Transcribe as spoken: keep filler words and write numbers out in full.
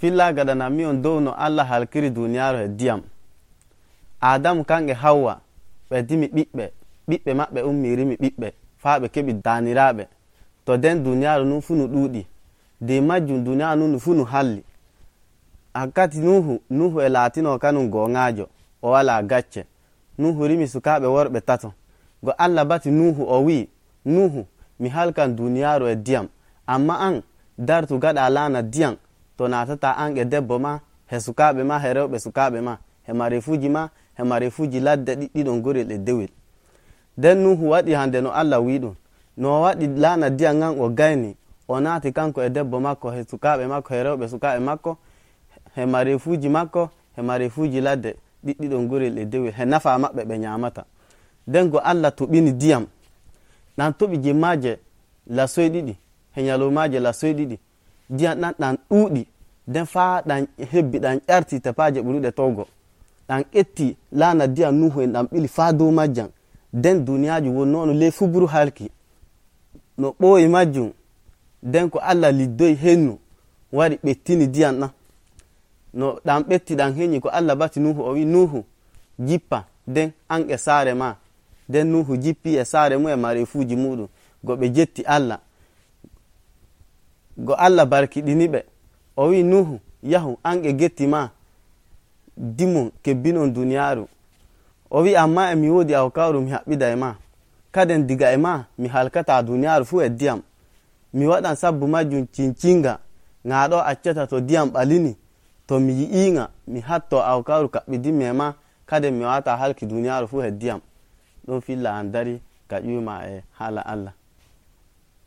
filla gadana mi on dow no Allah halkiri duniyaaru e diyam. Adamu kange Hawwa ɓe dimi ɓiɓɓe ɓiɓɓe maɓɓe ummirimi ɓiɓɓe faa ɓe keɓi daaniraaɓe. To den duniyaaru nun fu nu ɗuuɗi de majjum duniyaaru nun fu nu halli. Hakkati nuhu nuhu e laatino kanum goŋaajo o wala gacce. Nuhu rimi sukaaɓe worɓe tato. Go Allah bati nuhu o wi nuhu mi halkan duniyaaru e diyam, amma an dartu gaɗa laana diyam to natata an e debbo ma he sukaaɓe ma he rewɓe sukaaɓe ma he marefuuji ma he marefuuji ladde ɗiɗɗiɗon gorel e dewel. Den nuhu waɗi hande no Allah wi ɗum. No waɗi laana diyam ngan o gayni o naati kanko e debbo makko he sukaaɓe makko he rewɓe sukaaɓe makko he marefuuji makko he marefuuji ladde ɗiɗɗiɗon gorel e dewel he nafa maɓɓe ɓe nyamata. Den go Allah toɓini diyam ɗan toɓi jemmaje lasoy ɗiɗi he nyalomaje lasoy ɗiɗi diyam ɗan ɗan ɗuuɗi den faa ɗan hebbi ɗan ƴarti tepaje ɓuruɗe towgo ɗan etti laana diyam nuhu en ɗan ɓili faa dow majjam. Den duniyaaju wonnono ley fuburu halki no ɓooyi majjum. Den ko Allah liddoyi hennu wari ɓettini diyam ɗan no ɗan ɓetti ɗan heñi ko Allah bati nuhu o wi nuhu jippa den an e saare ma. Den nuhu jippi e saare mu e marefuuji muɗum go ɓe jetti Allah. Go Allah barkiɗini ɓe o wi nuhu yahu an e getti ma dimon kebbinon duniyaaru. O wi amma e mi woodi awkawru mi haɓɓida e ma kaden diga e ma mi halkata duniyaaru fu e diyam. Mi waɗan sabbu majjum cincinga ŋaaɗo accata to diyam ɓalini to mi yi'iŋa mi hatto awkawru kaɓɓidinmi e ma kaden mi wata halki duniyaaru fu e diyam. Ɗon filla an dari ka ƴuyma e haala Allah.